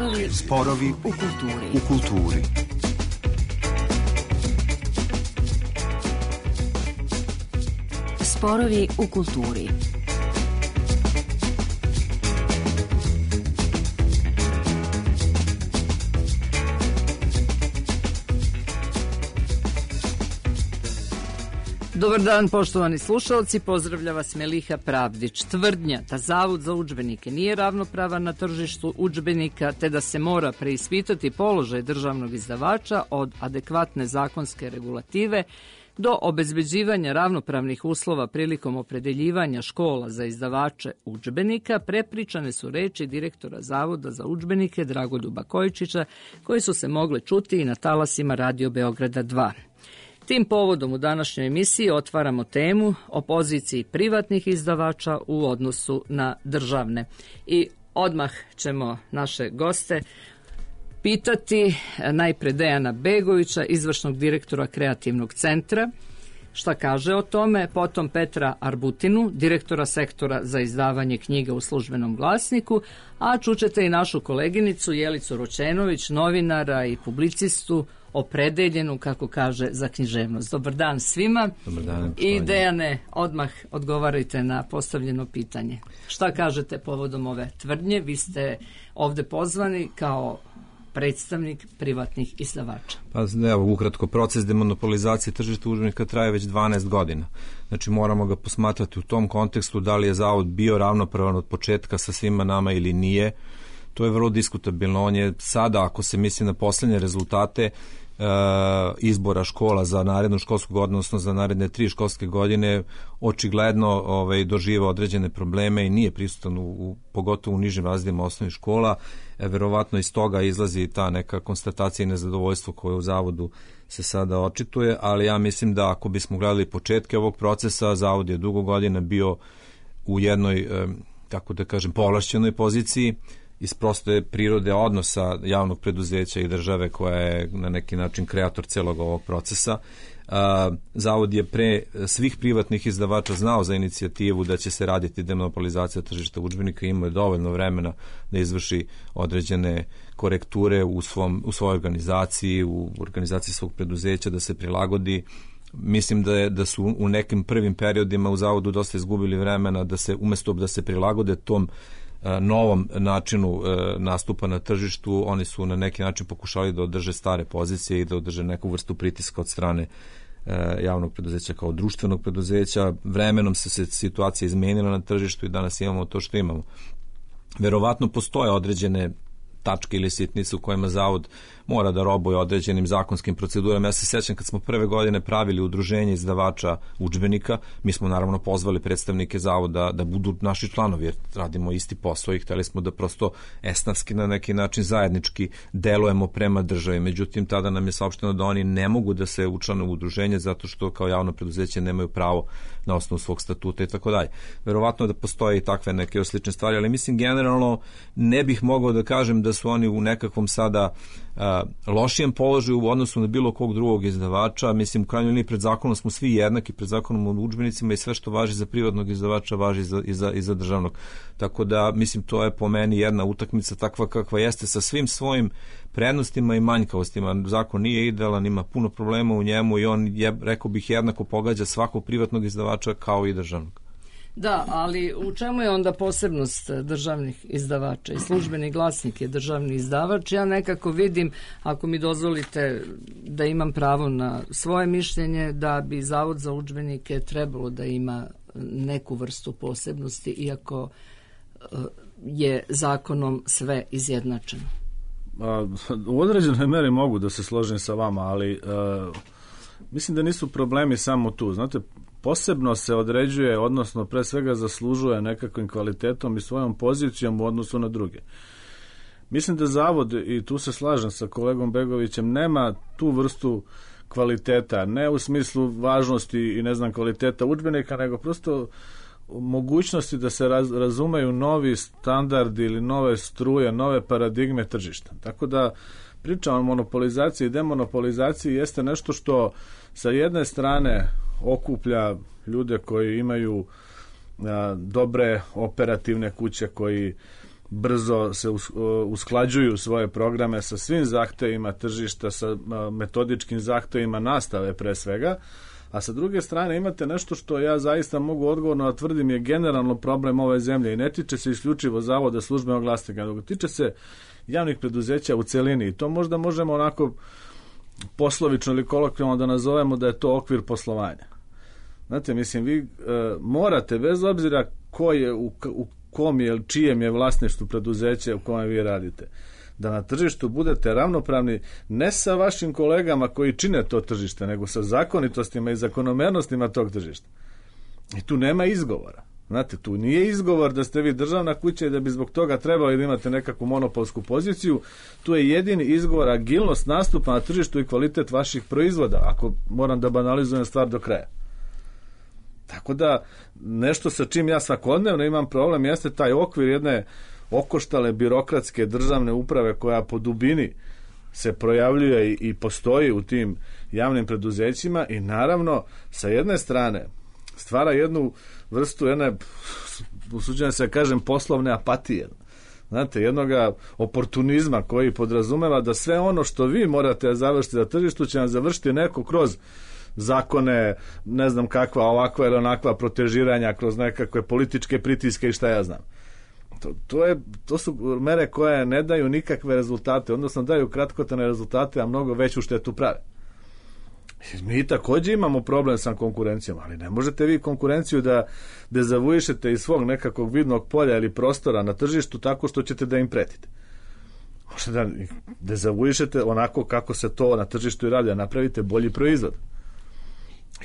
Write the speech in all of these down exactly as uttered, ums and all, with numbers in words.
Sporovi, sporovi u kulturi. U kulturi. Sporovi u kulturi. Dobar dan, poštovani slušalci, pozdravlja vas Meliha Pravdić. Tvrdnja da Zavod za udžbenike nije ravnopravan na tržištu udžbenika, te da se mora preispitati položaj državnog izdavača od adekvatne zakonske regulative do obezbeđivanja ravnopravnih uslova prilikom opredeljivanja škola za izdavače udžbenika, prepričane su reči direktora Zavoda za udžbenike Dragoljuba Kojičića, koji su se mogle čuti i na talasima Radio Beograda dva. Tim povodom u današnjoj emisiji otvaramo temu o poziciji privatnih izdavača u odnosu na državne. I odmah ćemo naše goste pitati najpre Dejana Begovića, izvršnog direktora Kreativnog centra, šta kaže o tome, potom Petra Arbutinu, direktora sektora za izdavanje knjiga u Službenom glasniku, a čućete i našu koleginicu Jelicu Roćenović, novinara i publicistu, opredeljenu, kako kaže, za književnost. Dobar dan svima. Dobar dan. I Dejane, odmah odgovarajte na postavljeno pitanje. Šta kažete povodom ove tvrdnje? Vi ste ovde pozvani kao predstavnik privatnih izdavača. Pa evo, ukratko, proces demonopolizacije tržišta udžbenika traje već dvanaest godina. Znači moramo ga posmatrati u tom kontekstu da li je Zavod bio ravnopravan od početka sa svima nama ili nije. To je vrlo diskutabilno. On je sada, ako se misli na poslednje rezultate e, izbora škola za narednu školsku godinu, odnosno za naredne tri školske godine, očigledno ovaj, doživa određene probleme i nije prisutan u, u, pogotovo u nižim razredima osnovnih škola. E, verovatno iz toga izlazi ta neka konstatacija i nezadovoljstvo koje u Zavodu se sada očituje, ali ja mislim da ako bismo gledali početke ovog procesa, Zavod je dugo godina bio u jednoj, e, kako da kažem, povlašćenoj poziciji, iz proste prirode odnosa javnog preduzeća i države koja je na neki način kreator celog ovog procesa. Zavod je pre svih privatnih izdavača znao za inicijativu da će se raditi demonopolizacija tržišta udžbenika i imao je dovoljno vremena da izvrši određene korekture u, svom, u svojoj organizaciji, u organizaciji svog preduzeća, da se prilagodi. Mislim da, je, da su u nekim prvim periodima u Zavodu dosta izgubili vremena da se, umesto da se prilagode tom novom načinu nastupa na tržištu, oni su na neki način pokušali da održe stare pozicije i da održe neku vrstu pritiska od strane javnog preduzeća kao društvenog preduzeća. Vremenom se, se situacija izmenila na tržištu i danas imamo to što imamo. Verovatno postoje određene tačke ili sitnice u kojima Zavod mora da robuje određenim zakonskim procedurama. Ja se sjećam kad smo prve godine pravili udruženje izdavača udžbenika, mi smo naravno pozvali predstavnike Zavoda da budu naši članovi, jer radimo isti posao i hteli smo da prosto esnafski na neki način zajednički delujemo prema državi. Međutim, tada nam je saopšteno da oni ne mogu da se učlane u udruženje zato što kao javno preduzeće nemaju pravo na osnovu svog statuta i tako dalje. Verovatno da postoje i takve neke slične stvari, ali mislim generalno ne bih mogao da kažem da su oni u nekakvom sada a, lošijem položaju u odnosu na bilo kog drugog izdavača. Mislim, u krajnjoj liniji pred zakonom smo svi jednaki, pred zakonom o udžbenicima i sve što važi za privatnog izdavača važi za, i, za, i za državnog. Tako da, mislim, to je po meni jedna utakmica takva kakva jeste sa svim svojim prednostima i manjkavostima. Zakon nije idealan, ima puno problema u njemu i on, je, rekao bih, jednako pogađa svakog privatnog izdavača kao i državnog. Da, ali u čemu je onda posebnost državnih izdavača? I Službeni glasnik je državni izdavač. Ja nekako vidim, ako mi dozvolite da imam pravo na svoje mišljenje, da bi Zavod za udžbenike trebalo da ima neku vrstu posebnosti, iako je zakonom sve izjednačeno. U određenoj meri mogu da se složim sa vama, ali uh, mislim da nisu problemi samo tu. Znate, posebno se određuje, odnosno pre svega zaslužuje nekakvim kvalitetom i svojom pozicijom u odnosu na druge. Mislim da Zavod, i tu se slažem sa kolegom Begovićem, nema tu vrstu kvaliteta, ne u smislu važnosti i ne znam kvaliteta udžbenika, nego prosto mogućnosti da se raz, razumeju novi standardi ili nove struje, nove paradigme tržišta. Tako da priča o monopolizaciji i demonopolizaciji jeste nešto što sa jedne strane okuplja ljude koji imaju a, dobre operativne kuće, koji brzo se usklađuju svoje programe sa svim zahtevima tržišta, sa metodičkim zahtevima nastave pre svega, a sa druge strane imate nešto što ja zaista mogu odgovorno da tvrdim je generalno problem ove zemlje i ne tiče se isključivo Zavoda službenog glasnika, nego tiče se javnih preduzeća u celini i to možda možemo onako poslovično ili kolokvijalno da nazovemo da je to okvir poslovanja. Znate, mislim, vi e, morate, bez obzira ko je, u, u kom je, čijem je vlasništvu preduzeća u kome vi radite, da na tržištu budete ravnopravni ne sa vašim kolegama koji čine to tržište, nego sa zakonitostima i zakonomernostima tog tržišta. I tu nema izgovora. Znate, tu nije izgovor da ste vi državna kuća i da bi zbog toga trebali da imate nekakvu monopolsku poziciju. Tu je jedini izgovor agilnost nastupa na tržištu i kvalitet vaših proizvoda, ako moram da banalizujem stvar do kraja. Tako da, nešto sa čim ja svakodnevno imam problem jeste taj okvir jedne okoštale birokratske državne uprave koja po dubini se projavljuje i postoji u tim javnim preduzećima i naravno sa jedne strane stvara jednu vrstu jedne, usuđujem se kažem, poslovne apatije. Znate, jednoga oportunizma koji podrazumeva da sve ono što vi morate da završiti na tržištu će vam završiti neko kroz zakone, ne znam kakva ovakva ili onakva protežiranja, kroz nekakve političke pritiske i šta ja znam. To, to, je, to su mere koje ne daju nikakve rezultate, odnosno daju kratkotrajne rezultate, a mnogo veću štetu prave. Mi također imamo problem sa konkurencijom, ali ne možete vi konkurenciju da dezavuišete iz svog nekakvog vidnog polja ili prostora na tržištu tako što ćete da im pretite. Možete da dezavuišete onako kako se to na tržištu i radi, da napravite bolji proizvod.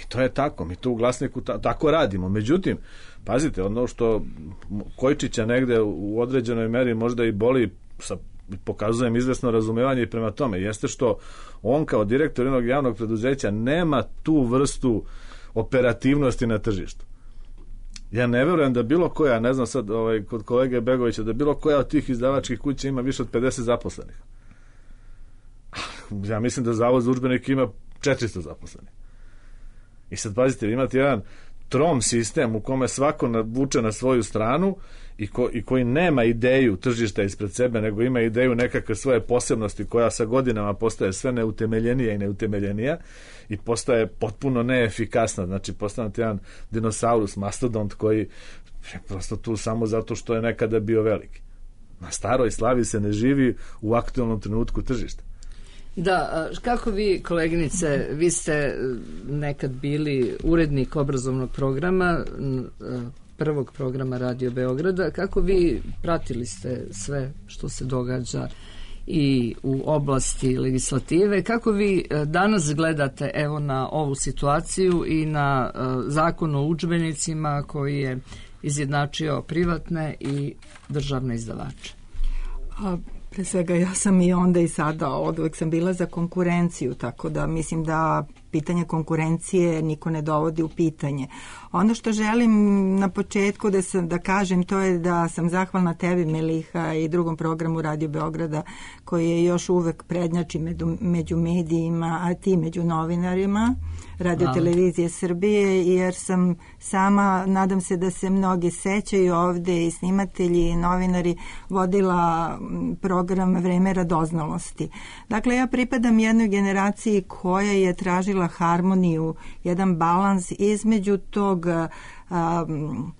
I to je tako, mi to u Glasniku ta, tako radimo. Međutim, pazite, ono što Kojčića negde u određenoj meri možda i boli, sa, pokazujem izvesno razumevanje i prema tome, jeste što on kao direktor jednog javnog preduzeća nema tu vrstu operativnosti na tržištu. Ja ne verujem da bilo koja, ne znam sad ovaj, kod kolege Begovića, da bilo koja od tih izdavačkih kuća ima više od pedeset zaposlenih. Ja mislim da Zavod za udžbenike ima četiristo zaposlenih. I sad pazite, imate jedan trom sistem u kome svako vuče na svoju stranu i, ko, i koji nema ideju tržišta ispred sebe, nego ima ideju nekakve svoje posebnosti koja sa godinama postaje sve neutemeljenija i neutemeljenija i postaje potpuno neefikasna. Znači, postane jedan dinosaurus, mastodont koji je prosto tu samo zato što je nekada bio veliki. Na staroj slavi se ne živi u aktualnom trenutku tržišta. Da, kako vi, koleginice, vi ste nekad bili urednik obrazovnog programa, prvog programa Radio Beograda, kako vi pratili ste sve što se događa i u oblasti legislative, kako vi danas gledate evo na ovu situaciju i na zakon o udžbenicima koji je izjednačio privatne i državne izdavače? A pre svega ja sam i onda i sada od uvek sam bila za konkurenciju, tako da mislim da pitanje konkurencije niko ne dovodi u pitanje. Ono što želim na početku da, sam, da kažem to je da sam zahvalna tebi, Meliha, i drugom programu Radio Beograda koji je još uvek prednjači među, među medijima, a ti među novinarima Radio Televizije Srbije, jer sam sama, nadam se da se mnogi sećaju ovde i snimatelji i novinari, vodila program Vreme radoznalosti. Dakle, ja pripadam jednoj generaciji koja je tražila harmoniju, jedan balans između tog um,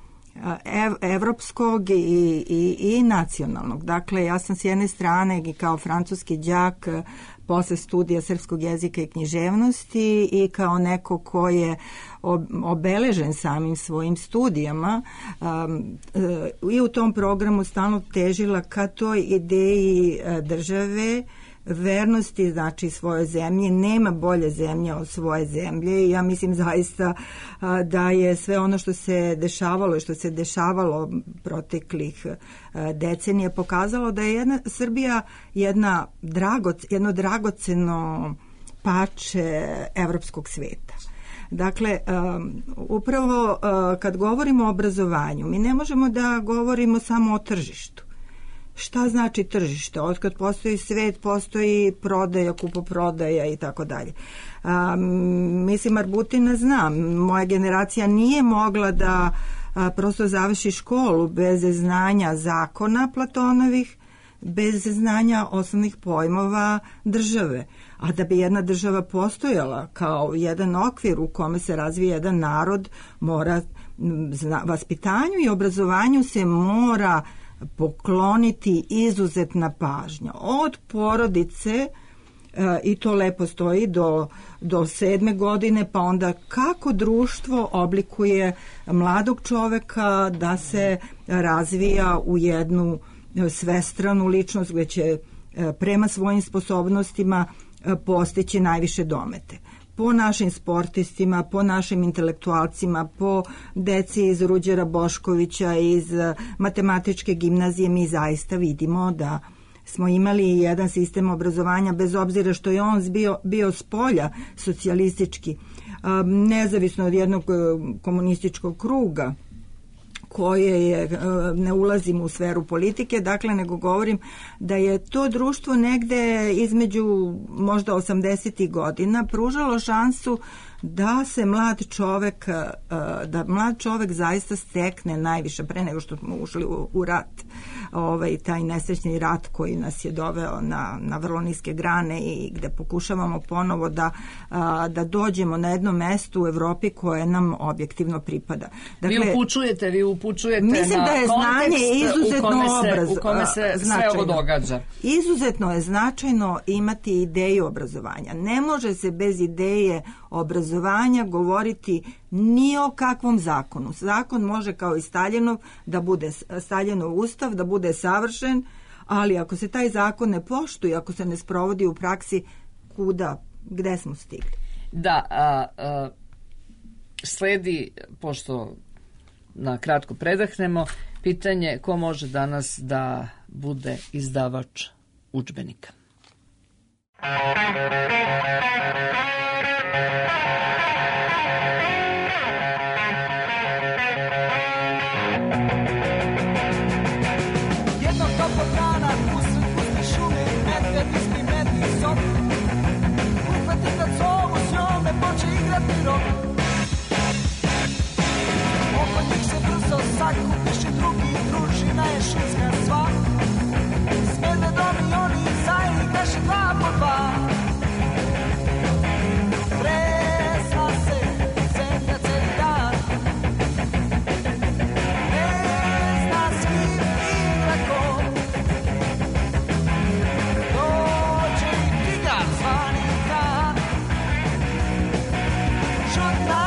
ev, evropskog i, i, i nacionalnog. Dakle, ja sam s jedne strane i kao francuski đak posle studija srpskog jezika i književnosti i kao neko ko je obeležen samim svojim studijama um, i u tom programu stalno težila ka toj ideji države, vernosti, znači svoje zemlje. Nema bolje zemlje od svoje zemlje i ja mislim zaista a, da je sve ono što se dešavalo i što se dešavalo proteklih a, decenija pokazalo da je jedna Srbija jedna dragoc, jedno dragoceno pače evropskog sveta. Dakle, um, upravo uh, kad govorimo o obrazovanju, mi ne možemo da govorimo samo o tržištu. Šta znači tržište? Otkad postoji svet, postoji prodaja, kupoprodaja i tako dalje. Mislim, Arbutina znam, moja generacija nije mogla da a, prosto završi školu bez znanja zakona Platonovih, bez znanja osnovnih pojmova države. A da bi jedna država postojala kao jedan okvir u kome se razvije jedan narod, mora zna, vaspitanju i obrazovanju se mora pokloniti izuzetna pažnja. Od porodice, i to lepo stoji, do, do sedme godine, pa onda kako društvo oblikuje mladog čoveka da se razvija u jednu svestranu ličnost gde će prema svojim sposobnostima postići najviše domete. Po našim sportistima, po našim intelektualcima, po deci iz Ruđera Boškovića, iz matematičke gimnazije, mi zaista vidimo da smo imali jedan sistem obrazovanja, bez obzira što je on bio, bio s polja socijalistički, nezavisno od jednog komunističkog kruga, koje je, ne ulazim u sferu politike, dakle, nego govorim da je to društvo negde između možda osamdesetih godina pružalo šansu da se mlad čovek, da mlad čovek zaista stekne najviše pre nego što smo ušli u, u rat, ovaj, taj nesrećni rat koji nas je doveo na, na vrlo niske grane i gde pokušavamo ponovo da, da dođemo na jedno mesto u Evropi koje nam objektivno pripada. Dakle, vi upućujete, vi upućujete mislim na da je znanje izuzetno u kome se, obraz, u kome se sve ovo događa. Izuzetno je značajno imati ideju obrazovanja. Ne može se bez ideje obrazovanja govoriti ni o kakvom zakonu. Zakon može kao i Staljinov da bude Staljinov ustav, da bude savršen, ali ako se taj zakon ne poštuje, ako se ne sprovodi u praksi, kuda, gde smo stigli? Da, a, a, sledi, pošto na kratko predahnemo, pitanje ko može danas da bude izdavač udžbenika. Jednog toplog dana usred puste šume medved ispri medni sob, uhvati kad zovu s njome poče igrati rok. Oko njih se brzo sakupiš i drugi družina je šinska sva. S medvedom i oni zaigraše dva po dva. Tresla se zemlja celi dan, ne zna s kim igra ko. Dođe i tigar zvani Kan, žutna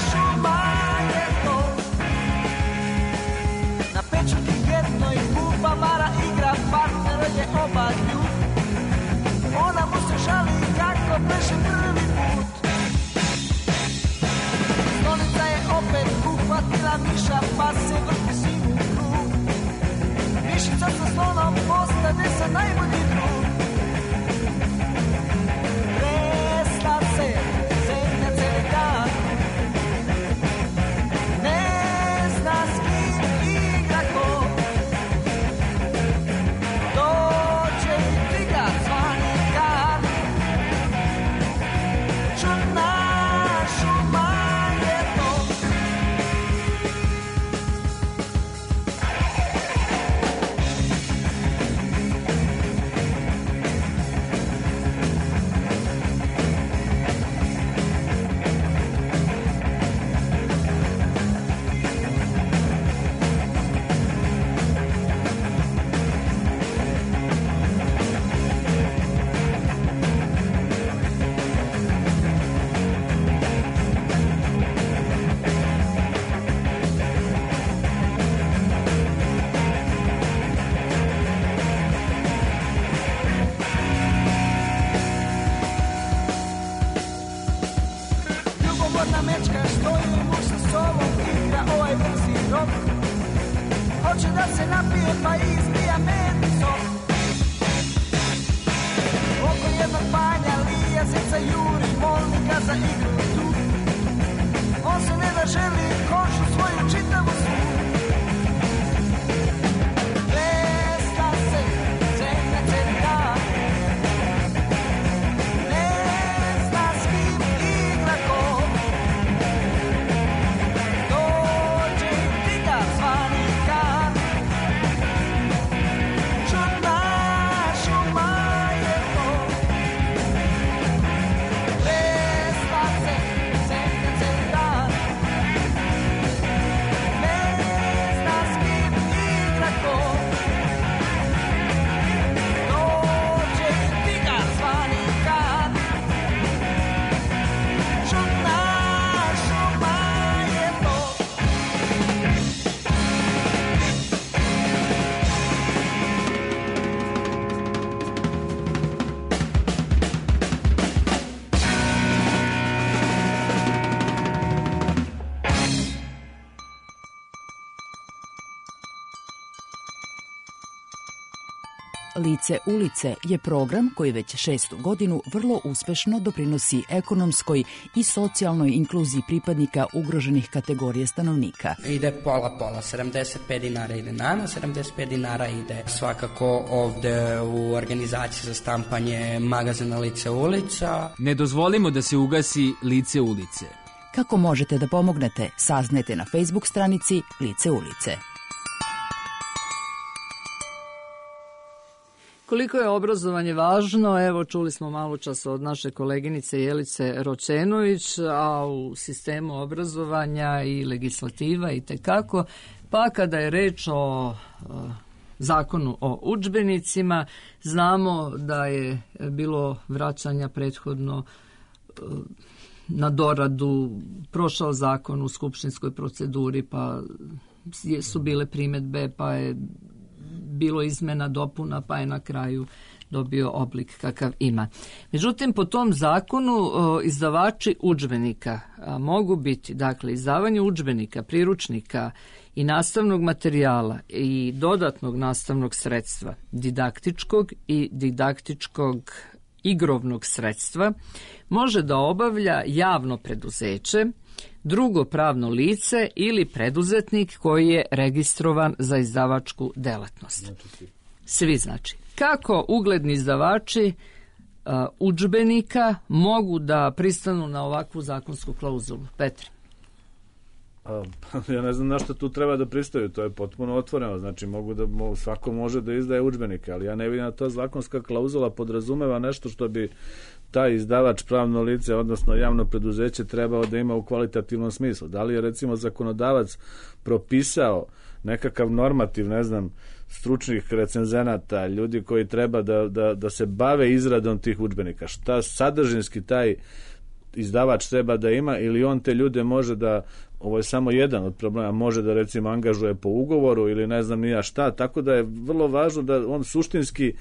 šuma je to. Na pečurki jednoj buba Mara igra, partner je oba ljub. Ona mu se žali kako beše prvi put. Stolica je opet uhvatila miša, pa se vrti svim u krug. Mišica sa slonom postane se najbolji drug. Tresla se zemlja celi dan, ne zna s kim igra ko. Dođe i tigar zvani Kan, žutna šuma je to. Lice ulice je program koji već šestu godinu vrlo uspešno doprinosi ekonomskoj i socijalnoj inkluziji pripadnika ugroženih kategorija stanovnika. Ide pola-pola, sedamdeset pet dinara ide nama, sedamdeset pet dinara ide svakako ovde u organizaciji za štampanje magazina Lice ulica. Ne dozvolimo da se ugasi Lice ulice. Kako možete da pomognete, saznajte na Facebook stranici Lice ulice. Koliko je obrazovanje važno, evo čuli smo malo čas od naše koleginice Jelice Roćenović, a u sistemu obrazovanja i legislativa i tekako, pa kada je reč o zakonu o udžbenicima, znamo da je bilo vraćanja prethodno na doradu, prošao zakon u skupštinskoj proceduri, pa su bile primedbe, pa je bilo izmena, dopuna, pa je na kraju dobio oblik kakav ima. Međutim, po tom zakonu izdavači udžbenika mogu biti, dakle, izdavanje udžbenika, priručnika i nastavnog materijala i dodatnog nastavnog sredstva, didaktičkog i didaktičkog igrovnog sredstva, može da obavlja javno preduzeće, drugo pravno lice ili preduzetnik koji je registrovan za izdavačku delatnost. Svi znači. Kako ugledni izdavači uh, udžbenika mogu da pristanu na ovakvu zakonsku klauzulu? Petre? A, ja ne znam na što tu treba da pristaju, to je potpuno otvoreno, znači mogu da, svako može da izdaje udžbenike, ali ja ne vidim da ta zakonska klauzula podrazumeva nešto što bi taj izdavač, pravno lice, odnosno javno preduzeće trebao da ima u kvalitativnom smislu. Da li je recimo zakonodavac propisao nekakav normativ, ne znam, stručnih recenzenata, ljudi koji treba da, da, da se bave izradom tih udžbenika, šta sadržinski taj izdavač treba da ima, ili on te ljude može da, ovo je samo jedan od problema, može da recimo angažuje po ugovoru ili ne znam nija šta, tako da je vrlo važno da on suštinski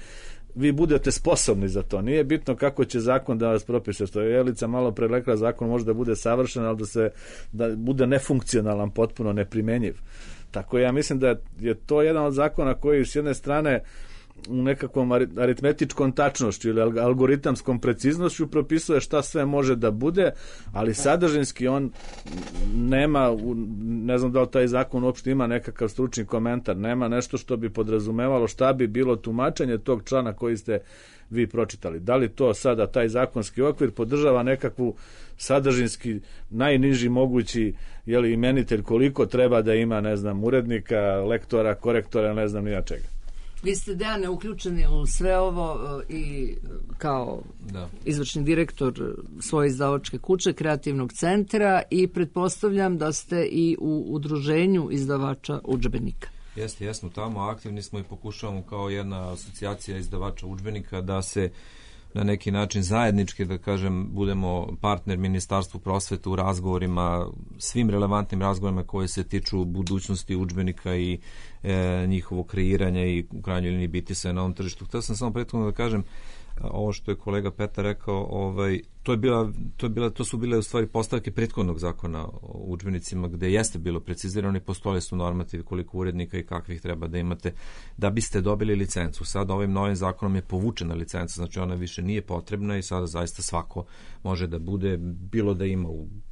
vi budete sposobni za to. Nije bitno kako će zakon da vas propiše, što je Jelica malo pre rekla, zakon može da bude savršen, ali da se da bude nefunkcionalan, potpuno neprimenjiv. Tako ja mislim da je to jedan od zakona koji s jedne strane u nekakvom aritmetičkom tačnošću ili algoritamskom preciznošću propisuje šta sve može da bude, ali sadržinski on nema, ne znam da li taj zakon uopšte ima nekakav stručni komentar, nema nešto što bi podrazumevalo šta bi bilo tumačenje tog člana koji ste vi pročitali. Da li to sada taj zakonski okvir podržava nekakvu sadržinski najniži mogući jeli, imenitelj koliko treba da ima, ne znam, urednika, lektora, korektora, ne znam nija čega. Vi ste, Dejane, uključeni u sve ovo i kao da. izvršni direktor svoje izdavačke kuće, kreativnog centra, i pretpostavljam da ste i u udruženju izdavača udžbenika. Jeste, jesmo tamo, aktivni smo i pokušavamo kao jedna asocijacija izdavača udžbenika da se na neki način zajednički, da kažem, budemo partner Ministarstvu prosvete u razgovorima, svim relevantnim razgovorima koji se tiču budućnosti udžbenika i e, njihovo kreiranja i u krajnjoj liniji biti se na ovom tržištu. Htio sam samo prethodno da kažem, ovo što je kolega Petar rekao, ovaj, to, je bila, to, je bila, to su bile u stvari postavke prethodnog zakona o udžbenicima gde jeste bilo precizirano i postojali su normativi koliko urednika i kakvih treba da imate da biste dobili licencu. Sada ovim novim zakonom je povučena licenca, znači ona više nije potrebna i sada zaista svako može da bude, bilo da ima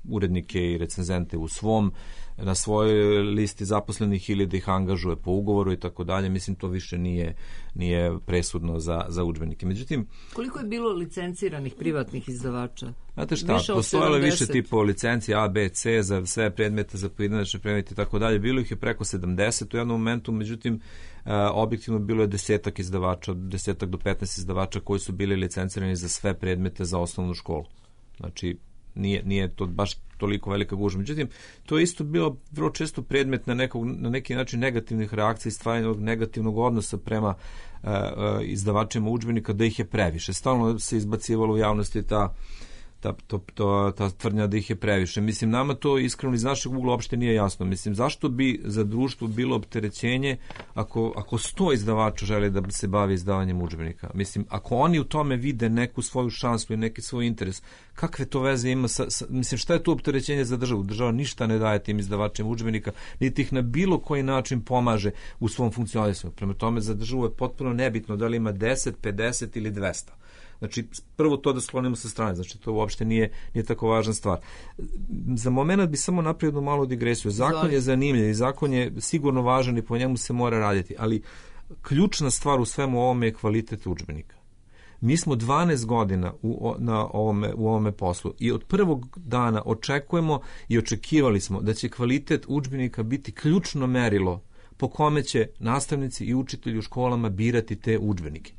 urednike i recenzente u svom, na svojoj listi zaposlenih ili da ih angažuje po ugovoru i tako dalje. Mislim, to više nije, nije presudno za, za udžbenike. Međutim, koliko je bilo licenciranih privatnih izdavača? Znate šta, postojalo je više tipova licencija A, B, C za sve predmete, za pojedinačne predmete i tako dalje. Bilo ih je preko sedamdeset u jednom momentu, međutim, objektivno bilo je desetak izdavača, desetak do petnaest izdavača koji su bili licencirani za sve predmete za osnovnu školu. Znači, nije, nije to baš toliko velika gužva. Međutim, to je isto bilo vrlo često predmet na, nekog, na neki način negativnih reakcija i stvarnog negativnog odnosa prema uh, uh, izdavačima udžbenika, da ih je previše. Stalno se izbacivalo u javnosti ta ta, to, to, ta tvrdnja da ih je previše. Mislim, nama to iskreno iz našeg ugla uopšte nije jasno. Mislim, zašto bi za društvo bilo opterećenje ako, ako sto izdavača žele da se bavi izdavanjem udžbenika? Mislim, ako oni u tome vide neku svoju šansu i neki svoj interes, kakve to veze ima sa, sa mislim, šta je to opterećenje za državu? Država ništa ne daje tim izdavačima udžbenika, niti ih na bilo koji način pomaže u svom funkcionisanju. Prema tome, za državu je potpuno nebitno da li ima deset, pedeset ili dvesta. Znači, prvo to da sklonimo sa strane, znači to uopšte nije, nije tako važna stvar. Za moment bi samo napravio jednu malu digresiju. Zakon je zanimljiv i zakon je sigurno važan i po njemu se mora raditi, ali ključna stvar u svemu ovome je kvalitet udžbenika. Mi smo dvanaest godina u, na ovome, u ovome poslu i od prvog dana očekujemo i očekivali smo da će kvalitet udžbenika biti ključno merilo po kome će nastavnici i učitelji u školama birati te udžbenike.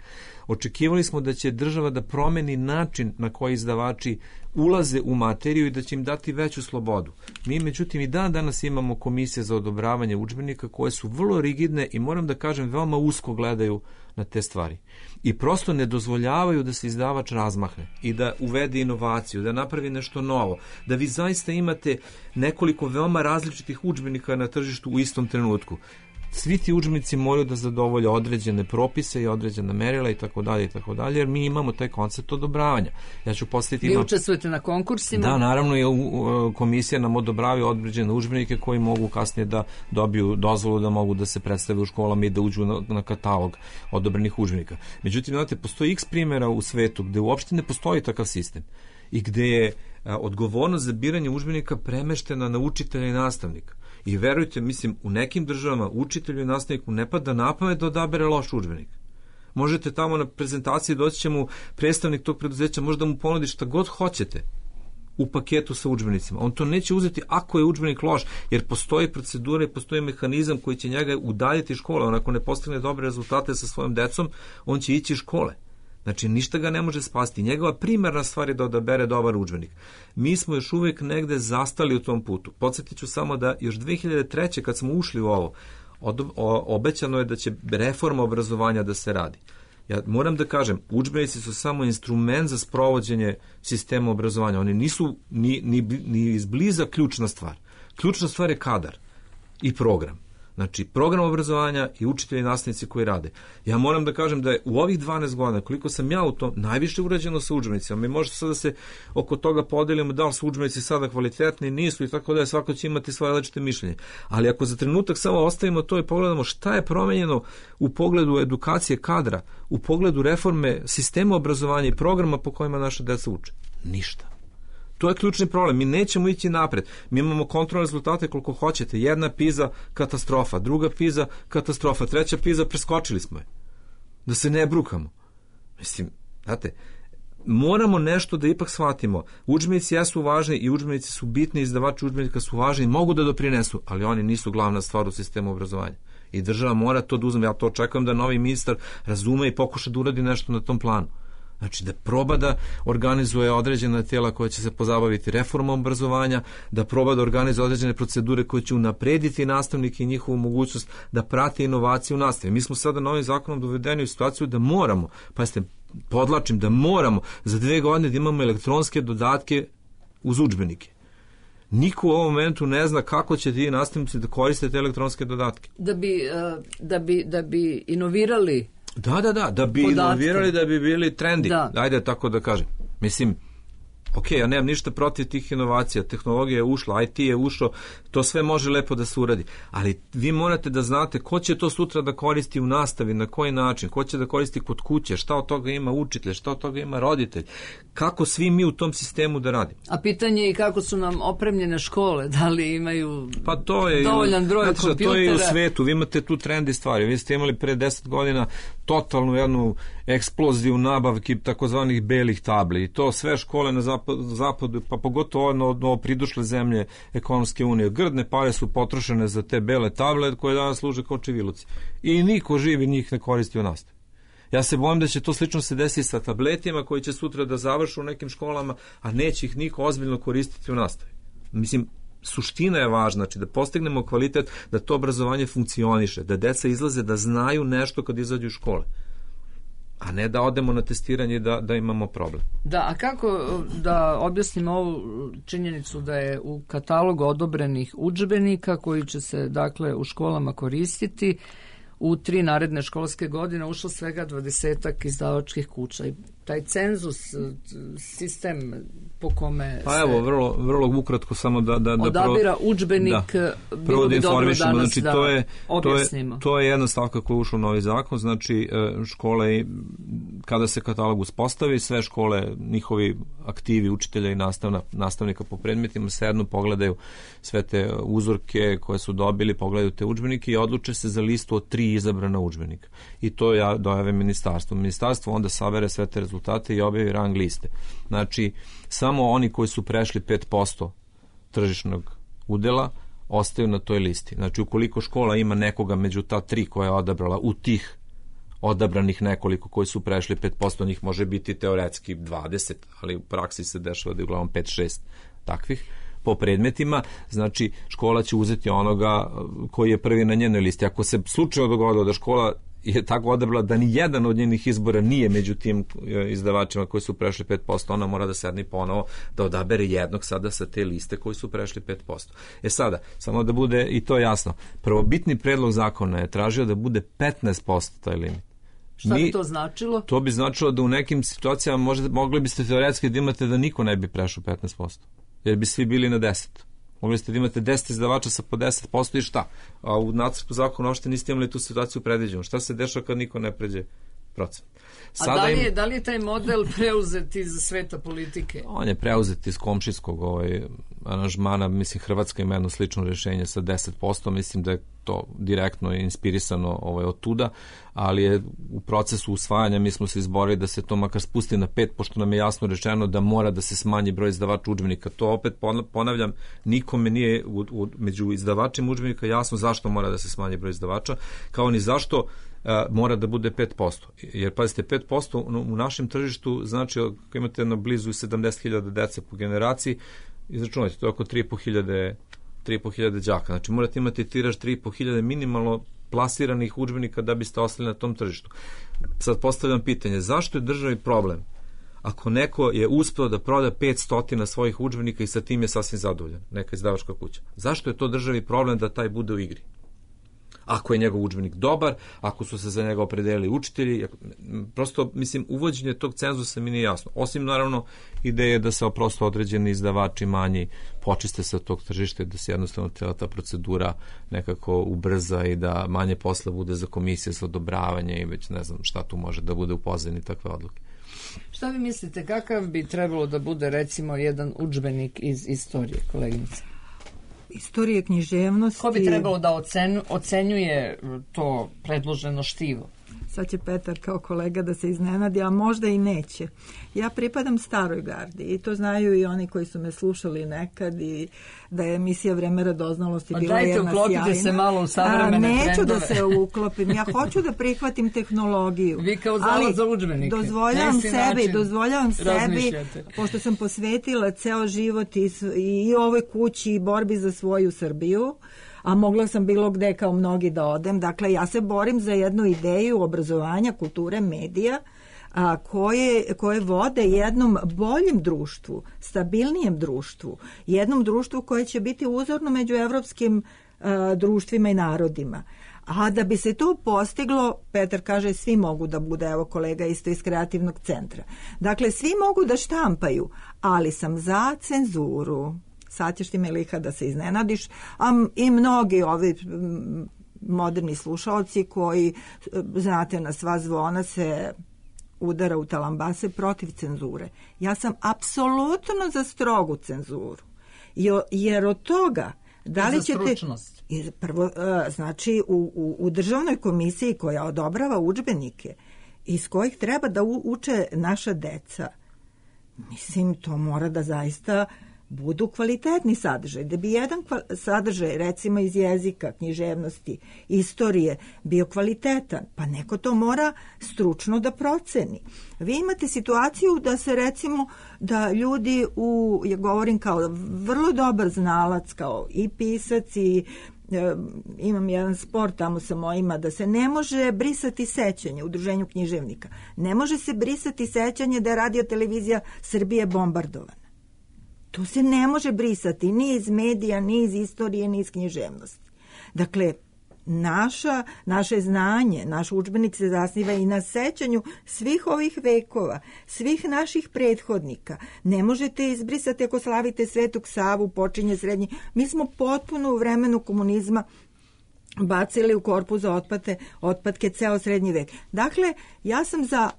Očekivali smo da će država da promeni način na koji izdavači ulaze u materiju i da će im dati veću slobodu. Mi, međutim, i dan danas imamo komisije za odobravanje udžbenika koje su vrlo rigidne i, moram da kažem, veoma usko gledaju na te stvari. I prosto ne dozvoljavaju da se izdavač razmahne i da uvede inovaciju, da napravi nešto novo, da vi zaista imate nekoliko veoma različitih udžbenika na tržištu u istom trenutku. Svi ti udžbenici moraju da zadovolje određene propise i određena merila i tako dalje i tako dalje, jer mi imamo taj koncept odobravanja. Ja ću postaviti... Vi učestvujete na konkursima? Da, naravno, je komisija nam odobravaju određene udžbenike koji mogu kasnije da dobiju dozvolu da mogu da se predstave u školama i da uđu na, na katalog odobrenih udžbenika. Međutim, znate, postoji x primjera u svetu gde uopšte ne postoji takav sistem i gde je a, odgovornost za biranje udžbenika premeštena na učitelja i nastavnika. I verujte, mislim, u nekim državama učitelju i nastavniku ne pada na pamet da odabere loš udžbenik. Možete tamo na prezentaciji doći će mu predstavnik tog preduzeća, može da mu ponudi šta god hoćete u paketu sa udžbenicima. On to neće uzeti ako je udžbenik loš, jer postoji procedura i postoji mehanizam koji će njega udaljiti iz škole. On ako ne postigne dobre rezultate sa svojom decom, on će ići iz škole. Znači, ništa ga ne može spasti. Njegova primarna stvar je da odabere dobar udžbenik. Mi smo još uvijek negde zastali u tom putu. Podsjetit ću samo da još dve hiljade treće kad smo ušli u ovo, od, o, obećano je da će reforma obrazovanja da se radi. Ja moram da kažem, udžbenici su samo instrument za sprovođenje sistema obrazovanja. Oni nisu ni, ni, ni izbliza ključna stvar. Ključna stvar je kadar i program. Znači, program obrazovanja i učitelji i nastavnici koji rade. Ja moram da kažem da je u ovih dvanaest godina, koliko sam ja u tom, najviše urađeno sa udžbenicima. Mi možete sad da se oko toga podelimo da li su udžbenici sada kvalitetni, nisu i tako da je, svako će imati svoje različite mišljenje. Ali ako za trenutak samo ostavimo to i pogledamo šta je promenjeno u pogledu edukacije kadra, u pogledu reforme sistema obrazovanja i programa po kojima naša deca uče, ništa. To je ključni problem. Mi nećemo ići napred. Mi imamo kontrolne rezultate koliko hoćete. Jedna PISA katastrofa, druga PISA katastrofa, treća PISA preskočili smo je. Da se ne brukamo. Mislim, znate, moramo nešto da ipak shvatimo. Udžbenici jesu važni i udžbenici su bitni, izdavači udžbenika su važni, mogu da doprinesu, ali oni nisu glavna stvar u sistemu obrazovanja. I država mora to da uzme. Ja to očekujem da novi ministar razume i pokuša da uradi nešto na tom planu. Znači da proba da organizuje određena tijela koja će se pozabaviti reformom obrazovanja, da proba da organizuje određene procedure koje će unaprediti nastavnike i njihovu mogućnost da prate inovacije u nastavi. Mi smo sada novim zakonom dovedeni u situaciju da moramo, pa jeste, podlačim, da moramo za dve godine da imamo elektronske dodatke uz udžbenike. Niko u ovom momentu ne zna kako će ti nastavnici da koriste te elektronske dodatke. Da bi, da bi, da bi inovirali Da, da, da, da bi inovirali, da bi bili trendi. Da. Ajde tako da kažem. Mislim, ok, ja nemam ništa protiv tih inovacija, tehnologija je ušla, I T je ušao, to sve može lepo da se uradi, ali vi morate da znate ko će to sutra da koristi u nastavi, na koji način, ko će da koristi kod kuće, šta od toga ima učitelj, šta od toga ima roditelj, kako svi mi u tom sistemu da radimo. A pitanje je i kako su nam opremljene škole, da li imaju pa to je, dovoljan broj znači, kompjutera. To je i u svetu, vi imate tu trendi stvari, vi ste imali pre deset godina totalnu jednu eksploziju nabavki takozvanih belih tabli i to sve škole na zapadu, zapadu pa pogotovo ono, ono pridošle zemlje ekonomske unije. Grdne pare su potrošene za te bele table koje danas služe kao čiviluci. I niko živi njih ne koristi u nastavi. Ja se bojim da će to slično se desiti sa tabletima koji će sutra da završu u nekim školama, a neće ih niko ozbiljno koristiti u nastavi. Mislim, suština je važna, znači da postignemo kvalitet, da to obrazovanje funkcioniše, da deca izlaze da znaju nešto kad izađu iz škole. a ne da odemo na testiranje da, da imamo problem. Da, a kako da objasnimo ovu činjenicu da je u katalogu odobrenih udžbenika koji će se dakle u školama koristiti u tri naredne školske godine ušlo svega dvadesetak izdavačkih kuća i taj cenzus, sistem po kome pa se evo, vrlo, vrlo ukratko samo da, da, da odabira udžbenik, da, bilo bi dobro danas znači, da to je, objasnimo. To je, to je jedna stavka koja je ušla u novi zakon, znači škole, kada se katalog uspostavi, sve škole, njihovi aktivi učitelja i nastavna, nastavnika po predmetima sednu, pogledaju sve te uzorke koje su dobili, pogledaju te udžbenike i odluče se za listu od tri izabrana udžbenika. I to ja dojave ministarstvo. Ministarstvo onda sabere sve te rezultate i objavi rang liste. Znači, samo oni koji su prešli pet posto tržišnog udela ostaju na toj listi. Znači, ukoliko škola ima nekoga među ta tri koja je odabrala u tih odabranih nekoliko koji su prešli pet posto, njih može biti teoretski dvadeset, ali u praksi se dešava da je uglavnom pet šest takvih po predmetima, znači škola će uzeti onoga koji je prvi na njenoj listi. Ako se slučajno dogodilo da škola je tako odabrala da ni jedan od njenih izbora nije među tim izdavačima koji su prešli pet posto, ona mora da sedne ponovo da odabere jednog sada sa te liste koji su prešli pet posto. E sada, samo da bude i to jasno, prvobitni predlog zakona je tražio da bude petnaest posto taj limit. Šta bi to značilo? To bi značilo da u nekim situacijama možete, mogli biste teoretski da imate da niko ne bi prešao petnaest posto, jer bi svi bili na deset. Mogli ste da imate deset izdavača sa po deset posto i šta? A u nacrtu zakona uopšte niste imali tu situaciju predviđenu. Šta se dešava kad niko ne pređe procent? Sada A da li, je, im... da li je taj model preuzet iz sveta politike? On je preuzet iz komšijskog ovaj, aranžmana. Mislim, Hrvatska ima jedno slično rješenje sa deset posto. Mislim da je to direktno inspirisano ovaj, od tuda, ali je u procesu usvajanja mi smo se izborili da se to makar spusti na pet, pošto nam je jasno rečeno da mora da se smanji broj izdavača udžbenika. To opet ponavljam, nikome nije u, u, među izdavačima udžbenika jasno zašto mora da se smanji broj izdavača, kao ni zašto a, mora da bude pet posto. Jer, pazite, pet posto u našem tržištu znači, ako imate na blizu sedamdeset hiljada dece po generaciji, izračunajte, to je oko tri i po hiljade tri i po hiljade đaka. Znači, morate imati tiraž tri i po hiljade minimalno plasiranih udžbenika da biste ostali na tom tržištu. Sad postavljam pitanje, zašto je državi problem ako neko je uspeo da proda petsto svojih udžbenika i sa tim je sasvim zadovoljan, neka izdavačka kuća? Zašto je to državi problem da taj bude u igri? Ako je njegov udžbenik dobar, ako su se za njega opredelili učitelji, prosto, mislim, uvođenje tog cenzusa mi nije jasno. Osim, naravno, ideje da se prosto određeni izdavači manji počiste sa tog tržišta, da se jednostavno cijela ta procedura nekako ubrza i da manje posla bude za komisije za odobravanje i već ne znam šta tu može da bude u pozadini takve odluke. Šta vi mislite, kakav bi trebalo da bude, recimo, jedan udžbenik iz istorije, koleginice? Istorije, književnosti. Ko bi trebalo da ocenu, ocenjuje to predloženo štivo? Sad će Petar kao kolega da se iznenadi, a možda i neće. Ja pripadam staroj gardi i to znaju i oni koji su me slušali nekad i da je emisija Vreme radoznalosti bila jedna sjajna. Dajte, uklopite se malo u savremene a, neću trendove. Da se uklopim, ja hoću da prihvatim tehnologiju. Vi kao zavod za udžbenike. Dozvoljavam sebi, dozvoljavam sebi, pošto sam posvetila ceo život i, i ovoj kući i borbi za svoju Srbiju, a mogla sam bilo gde kao mnogi da odem. Dakle, ja se borim za jednu ideju obrazovanja, kulture, medija, a, koje, koje vode jednom boljem društvu, stabilnijem društvu, jednom društvu koje će biti uzorno među evropskim a, društvima i narodima. A da bi se to postiglo, Petar kaže, svi mogu da bude, evo kolega isto iz kreativnog centra. Dakle, svi mogu da štampaju, ali sam za cenzuru. Sad ćeš ti, Meliha, da se iznenadiš, a i mnogi ovi moderni slušalci koji, znate, na sva zvona se udara u talambase protiv cenzure. Ja sam apsolutno za strogu cenzuru, jer od toga da li ćete... Prvo, znači, u, u, u državnoj komisiji koja odobrava udžbenike iz kojih treba da uče naša deca, mislim, to mora da zaista budu kvalitetni sadržaj. Da bi jedan sadržaj, recimo iz jezika, književnosti, istorije, bio kvalitetan, pa neko to mora stručno da proceni. Vi imate situaciju da se, recimo, da ljudi, u, ja govorim kao vrlo dobar znalac, kao i pisac i imam jedan spor tamo sa mojima, da se ne može brisati sećanje u Udruženju književnika. Ne može se brisati sećanje da je radio televizija Srbije bombardovana. To se ne može brisati ni iz medija, ni iz istorije, ni iz književnosti. Dakle, naša, naše znanje, naš udžbenik se zasniva i na sećanju svih ovih vekova, svih naših prethodnika. Ne možete izbrisati ako slavite Svetog Savu, počinje srednji. Mi smo potpuno u vremenu komunizma bacili u korpu za otpate, otpadke ceo srednji vek. Dakle, ja sam za,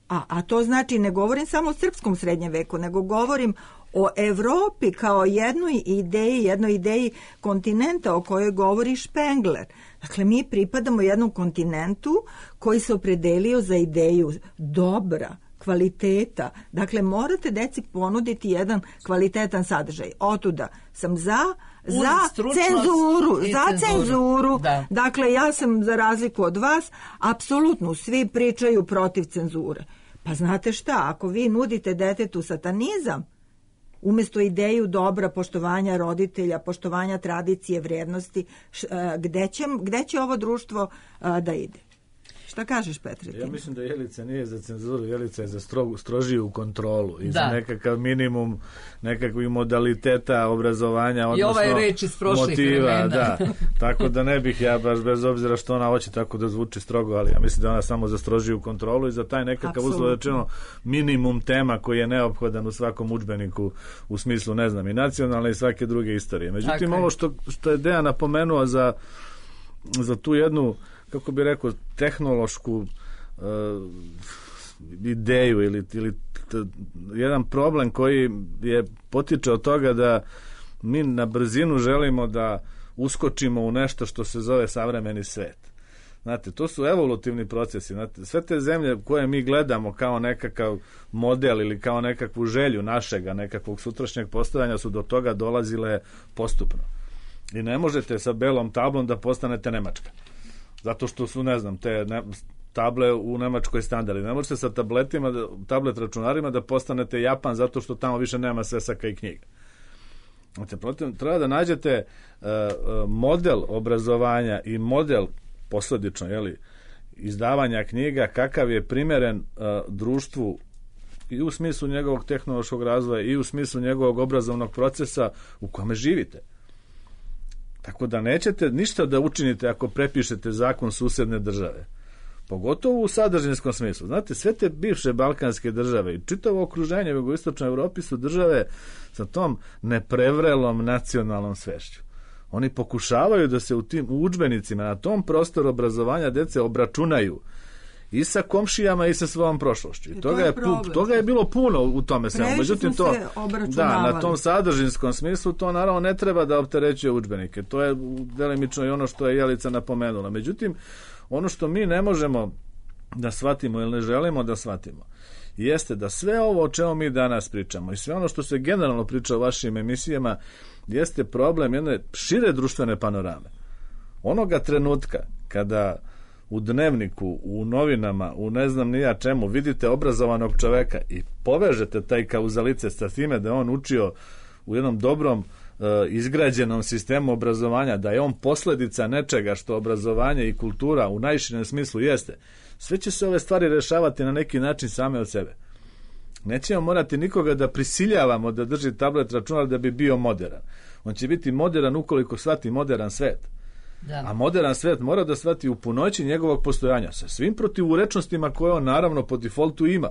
a, a to znači ne govorim samo o srpskom srednjem veku, nego govorim o Evropi kao jednoj ideji, jednoj ideji kontinenta o kojoj govori Špengler. Dakle, mi pripadamo jednom kontinentu koji se opredelio za ideju dobra, kvaliteta. Dakle, morate deci ponuditi jedan kvalitetan sadržaj. Otuda sam za za cenzuru, za cenzuru. Da. Dakle, ja sam za razliku od vas, apsolutno svi pričaju protiv cenzure. Pa znate šta, ako vi nudite detetu satanizam, umjesto ideju dobra, poštovanja roditelja, poštovanja tradicije, vrednosti, š, gde, će, gde će ovo društvo a, da ide? Šta kažeš, Petre? Ja mislim da Jelica nije za cenzuru, Jelica je za strogu, strožiju kontrolu i da. Za nekakav minimum nekakvih modaliteta obrazovanja, odnosno i ovaj reč iz prošlih motiva. Vremena. Da. Tako da ne bih ja baš, bez obzira što ona hoće tako da zvuči strogo, ali ja mislim da ona samo za strožiju kontrolu i za taj nekakav uslovno rečeno minimum tema koji je neophodan u svakom udžbeniku u smislu, ne znam, i nacionalne i svake druge istorije. Međutim, tako ovo što, što je Dejan napomenuo za, za tu jednu, kako bi rekao, tehnološku uh, ideju ili, ili t, jedan problem koji je potiče od toga da mi na brzinu želimo da uskočimo u nešto što se zove savremeni svet. Znate, to su evolutivni procesi. Znate, sve te zemlje koje mi gledamo kao nekakav model ili kao nekakvu želju našega, nekakvog sutrašnjeg postojanja su do toga dolazile postupno. I ne možete sa belom tablom da postanete Nemačka. Zato što su, ne znam, te ne, table u Nemačkoj standardi. Ne možete sa tabletima, tablet računarima da postanete Japan zato što tamo više nema svesaka i knjiga. Znači, protiv, treba da nađete uh, model obrazovanja i model posledično, jeli, izdavanja knjiga kakav je primeren uh, društvu i u smislu njegovog tehnološkog razvoja i u smislu njegovog obrazovnog procesa u kome živite. Tako da nećete ništa da učinite ako prepišete zakon susedne države. Pogotovo u sadržinskom smislu. Znate, sve te bivše balkanske države i čitavo okruženje u jugoistočnoj Evropi su države sa tom neprevrelom nacionalnom svešću. Oni pokušavaju da se u tim udžbenicima na tom prostoru obrazovanja dece obračunaju i sa komšijama i sa svojom prošlošću. I toga je, je toga je bilo puno u tome svemu. Međutim, to, da, na tom sadržinskom smislu to naravno ne treba da opterećuje udžbenike. To je delimično i ono što je Jelica napomenula. Međutim, ono što mi ne možemo da shvatimo ili ne želimo da shvatimo jeste da sve ovo o čemu mi danas pričamo i sve ono što se generalno priča u vašim emisijama jeste problem jedne šire društvene panorame. Onoga trenutka kada u dnevniku, u novinama, u ne znam ni ja čemu, vidite obrazovanog čoveka i povežete taj kauzalitet sa time da je on učio u jednom dobrom e, izgrađenom sistemu obrazovanja, da je on posledica nečega što obrazovanje i kultura u najširem smislu jeste, sve će se ove stvari rešavati na neki način same od sebe. Nećemo morati nikoga da prisiljavamo da drži tablet računar da bi bio moderan. On će biti moderan ukoliko shvati modern svet. Da. A modern svet mora da shvati u punoći njegovog postojanja sa svim protivurečnostima koje on naravno po defaultu ima.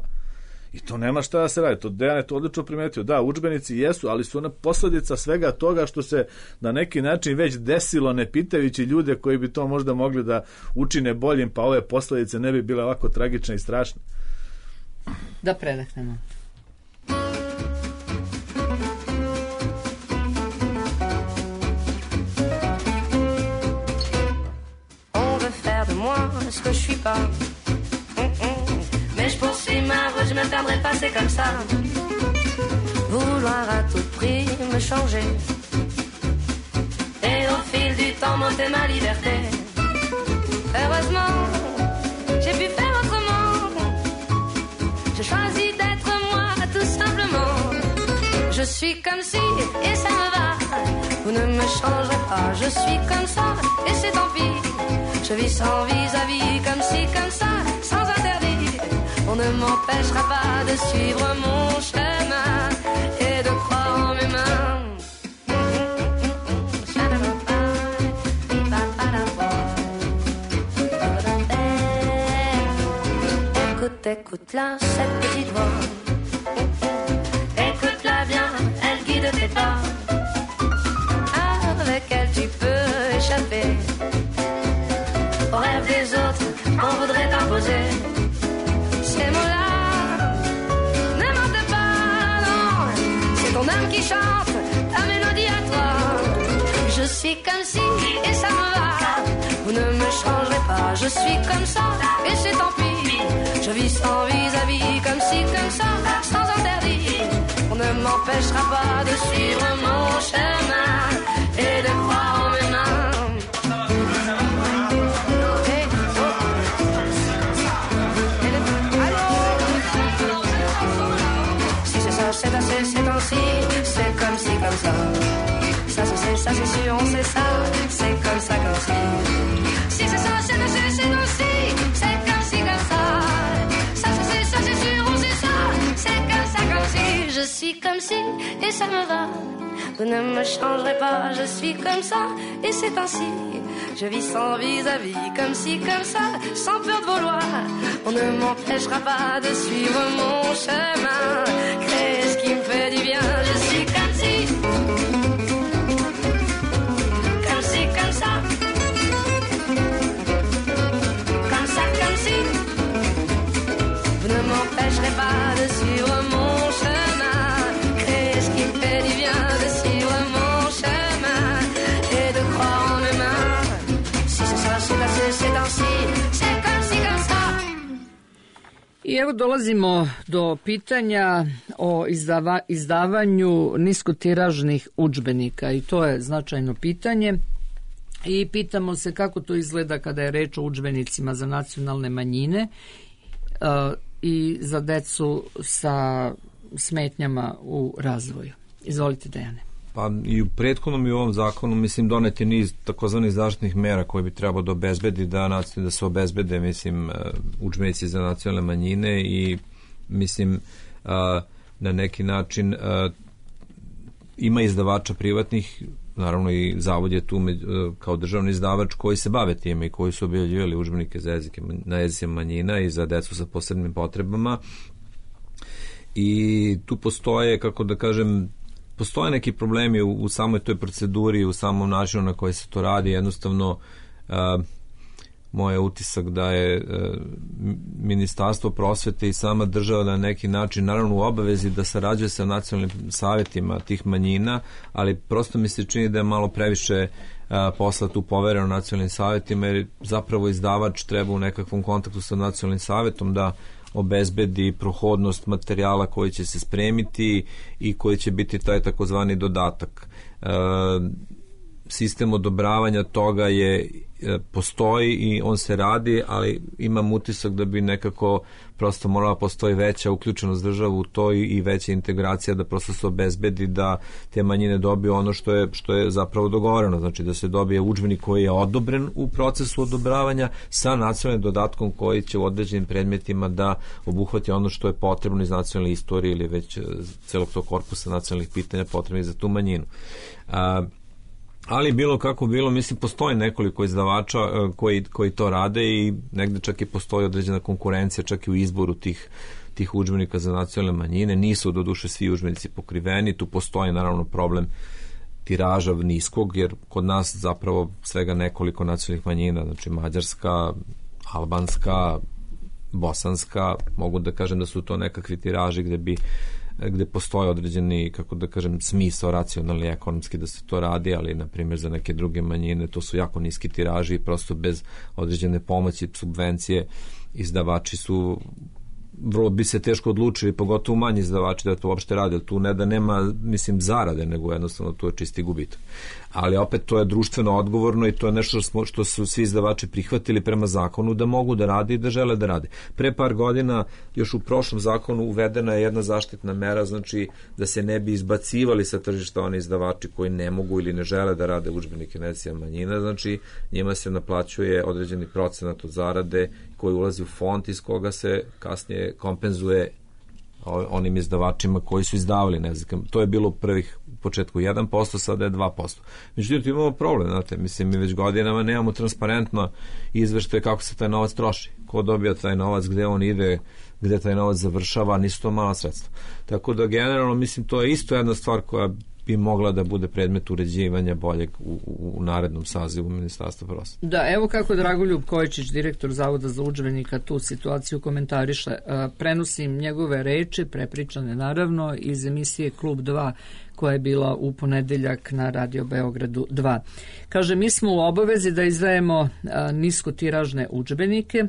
I to nema šta da se radi. To Dejan je to odlično primetio. Da, udžbenici jesu, ali su ona posledica svega toga što se na neki način već desilo, ne pitajući ljude koji bi to možda mogli da učine boljim, pa ove posledice ne bi bile ovako tragične i strašne. Da predahnemo. Ce que je suis pas mm-mm. Mais je poursuis ma route, je me perdrai pas, c'est comme ça. Vouloir à tout prix me changer et au fil du temps monter ma liberté. Heureusement, j'ai pu faire autrement. J'ai choisi d'être moi, tout simplement. Je suis comme si, et ça me va. vous ne me changerez pas, je suis comme ça, et c'est tant pis. Je vis sans vis-à-vis, comme ci, comme ça, sans interdit. On ne m'empêchera pas de suivre mon chemin et de croire en mes mains. Écoute, écoute-la, cette petite voix. Écoute-la bien, elle guide tes pas. Avec elle tu peux échapper aux rêves des autres qu'on voudrait t'imposer. Ces mots-là, ne mentent pas, non. C'est ton âme qui chante ta mélodie à toi. Je suis comme si et ça me va. Vous ne me changerez pas, je suis comme ça et c'est tant pis. Je vis sans vis-à-vis, comme ci, comme ça, sans interdit. On ne m'empêchera pas de suivre mon chemin et de croire en mes mains. Hey, oh. Allô? Si c'est ça, c'est assez, c'est ainsi. C'est comme ci, comme ça. Ça, c'est, c'est, ça, c'est sûr, on sait ça. C'est comme ça, comme ci. Si c'est ça, c'est assez, c'est ainsi. C'est comme ci, comme ça. Ça, c'est, ça, c'est sûr, on sait ça. C'est comme ça, comme ci. Je suis comme ci et ça me va. Vous ne me changerez pas, je suis comme ça, et c'est ainsi. Je vis sans vis-à-vis, comme ci, comme ça, sans peur de vouloir. On ne m'empêchera pas de suivre mon chemin, créer ce qui me fait du bien. Je suis comme ci, comme ci, comme ça, comme ça, comme ci. Vous ne m'empêcherez pas de suivre mon chemin, créer ce qui me fait du bien. I evo dolazimo do pitanja o izdava, izdavanju niskotiražnih udžbenika i to je značajno pitanje i pitamo se kako to izgleda kada je reč o udžbenicima za nacionalne manjine uh, i za decu sa smetnjama u razvoju. Izvolite, Dejane. Pa i u prethodnom i u ovom zakonu mislim donet je niz takozvanih zaštitnih mera koje bi trebalo da obezbedi da, da se obezbede mislim udžbenici za nacionalne manjine i mislim na neki način ima izdavača privatnih, naravno i zavod je tu kao državni izdavač koji se bave time i koji su objavljivali udžbenike za jezike, na jezicima manjina i za decu sa posebnim potrebama i tu postoje, kako da kažem, postoje neki problemi u, u samoj toj proceduri, u samom načinu na koji se to radi. Jednostavno, uh, moj utisak da je uh, Ministarstvo prosvete i sama država na neki način, naravno u obavezi da sarađuje sa nacionalnim savjetima tih manjina, ali prosto mi se čini da je malo previše uh, posla tu povereno nacionalnim savjetima, jer zapravo izdavač treba u nekakvom kontaktu sa nacionalnim savjetom da obezbedi prohodnost materijala koji će se spremiti i koji će biti taj takozvani dodatak. E, sistem odobravanja toga je postoji i on se radi, ali imam utisak da bi nekako prosto morala postoji veća uključenost država u to i veća integracija da prosto se obezbedi da te manjine dobiju ono što je, što je zapravo dogovoreno, znači da se dobije udžbenik koji je odobren u procesu odobravanja sa nacionalnim dodatkom koji će u određenim predmetima da obuhvati ono što je potrebno iz nacionalne istorije ili već celog tog korpusa nacionalnih pitanja potrebnih za tu manjinu. A, ali bilo kako bilo, mislim, postoji nekoliko izdavača koji, koji to rade i negde čak i postoji određena konkurencija čak i u izboru tih, tih udžbenika za nacionalne manjine. Nisu do duše svi udžbenici pokriveni, tu postoji naravno problem tiraža niskog, jer kod nas zapravo svega nekoliko nacionalnih manjina, znači mađarska, albanska, bosanska, mogu da kažem da su to nekakvi tiraži gde bi gde postoje određeni, kako da kažem, smisao racionalni, ekonomski da se to radi, ali na primjer za neke druge manjine to su jako niski tiraži i prosto bez određene pomoći, subvencije izdavači su vrlo bi se teško odlučili, pogotovo manji izdavači da to uopšte rade, tu ne da nema, mislim, zarade, nego jednostavno to je čisti gubitak. Ali opet to je društveno odgovorno i to je nešto što, smo, što su svi izdavači prihvatili prema zakonu da mogu da rade i da žele da rade. Pre par godina, još u prošlom zakonu uvedena je jedna zaštitna mera, znači da se ne bi izbacivali sa tržišta oni izdavači koji ne mogu ili ne žele da rade udžbenike nacionalnih manjina, znači njima se naplaćuje određeni procenat od zarade koji ulazi u fond iz koga se kasnije kompenzuje onim izdavačima koji su izdavali, ne znam, to je bilo u prvih početku jedan posto, sada je dva posto. Međutim, imamo problem, znate, mislim, mi već godinama nemamo transparentno izveštaje kako se taj novac troši, ko dobija taj novac, gde on ide, gde taj novac završava, nisu to mala sredstva. Tako da, generalno, mislim, to je isto jedna stvar koja bi mogla da bude predmet uređivanja boljeg u, u, u narednom sazivu Ministarstva prosvete. Da, evo kako Dragoljub Kojičić, direktor Zavoda za udžbenika, tu situaciju komentariše. Prenosim njegove reči, prepričane naravno, iz emisije Klub dva, koja je bila u ponedeljak na Radio Beogradu dva. Kaže, mi smo u obavezi da izdajemo niskotiražne udžbenike,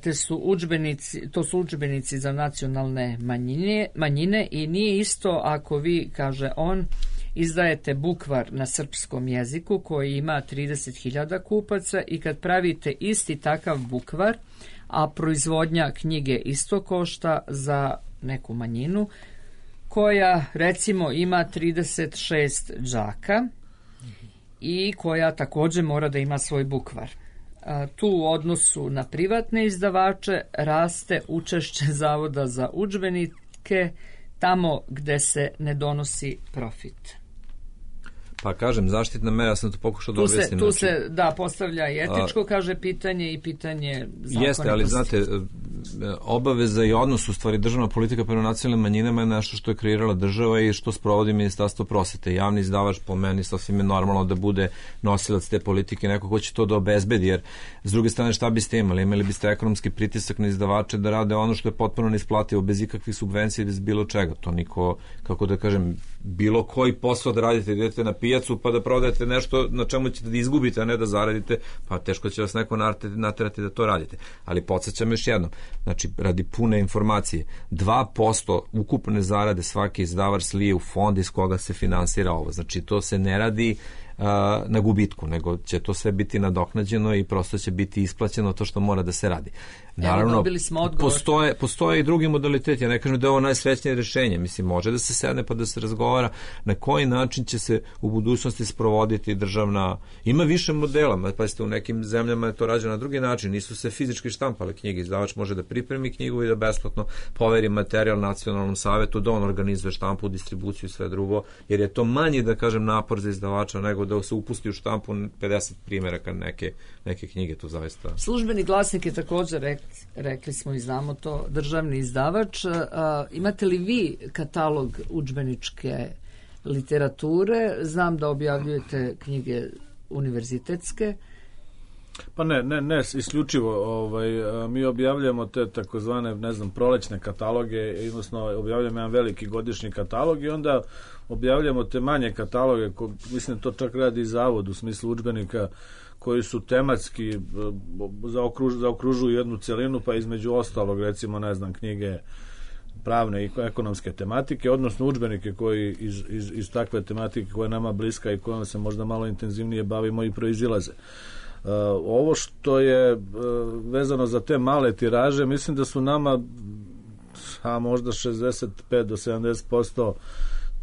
te su udžbenici, to su udžbenici za nacionalne manjine, manjine i nije isto ako vi, kaže on, izdajete bukvar na srpskom jeziku koji ima trideset hiljada kupaca i kad pravite isti takav bukvar, a proizvodnja knjige isto košta za neku manjinu koja recimo ima trideset šest đaka i koja također mora da ima svoj bukvar. Tu u odnosu na privatne izdavače raste učešće Zavoda za udžbenike tamo gde se ne donosi profit. Pa kažem, zaštitna mera, ja sam to pokušao da objasnim. Tu se, da, postavlja i etičko, a, kaže, pitanje i pitanje zakonitosti. Jeste, ali znate, obaveza i odnos, u stvari, državna politika prema nacionalnim manjinama je nešto što je kreirala država i što sprovodi Ministarstvo prosvete. Javni izdavač, po meni, sasvim je normalno da bude nosilac te politike, neko ko će to da obezbedi, jer s druge strane šta biste imali? Imali biste ekonomski pritisak na izdavače da rade ono što je potpuno neisplativo, bez ikakvih subvencija, bez bilo čega. To niko, kako da kažem, bilo koji posao da radite, idete na pijacu pa da prodajete nešto na čemu ćete da izgubite, a ne da zaradite, pa teško će vas neko naterati da to radite. Ali podsjećam još jednom, znači radi pune informacije, dva posto ukupne zarade svaki izdavač slije u fond iz koga se finansira ovo. Znači to se ne radi na gubitku, nego će to sve biti nadoknađeno i prosto će biti isplaćeno to što mora da se radi. Naravno, postoje, postoje i drugi modaliteti. Ja ne kažem da je ovo najsrećnije rješenje. Mislim, može da se sedne pa da se razgovara na koji način će se u budućnosti sprovoditi državna... Ima više modela, pa ste u nekim zemljama je to rađeno na drugi način. Nisu se fizički štampale knjige. Izdavač može da pripremi knjigu i da besplatno poveri materijal nacionalnom savetu, da on organizuje štampu, distribuciju i sve drugo, jer je to manji, da kažem, napor za izdavača nego da se upusti u štampu pedeset primjeraka neke, neke knjige, to zaista... Službeni glasnik je također, rekli, rekli smo i znamo to, državni izdavač. A, imate li vi katalog udžbeničke literature? Znam da objavljujete knjige univerzitetske. Pa ne, ne, ne, isključivo. Ovaj, mi objavljamo te takozvane, ne znam, prolećne kataloge, odnosno objavljamo jedan veliki godišnji katalog i onda objavljamo te manje kataloge, ko, mislim to čak radi i Zavod u smislu udžbenika koji su tematski, zaokruž, zaokružuju jednu celinu, pa između ostalog, recimo, ne znam, knjige pravne i ekonomske tematike, odnosno udžbenike koji iz, iz, iz takve tematike koja je nama bliska i kojom se možda malo intenzivnije bavimo i proizilaze. Uh, ovo što je uh, vezano za te male tiraže, mislim da su nama a možda šezdeset pet do sedamdeset posto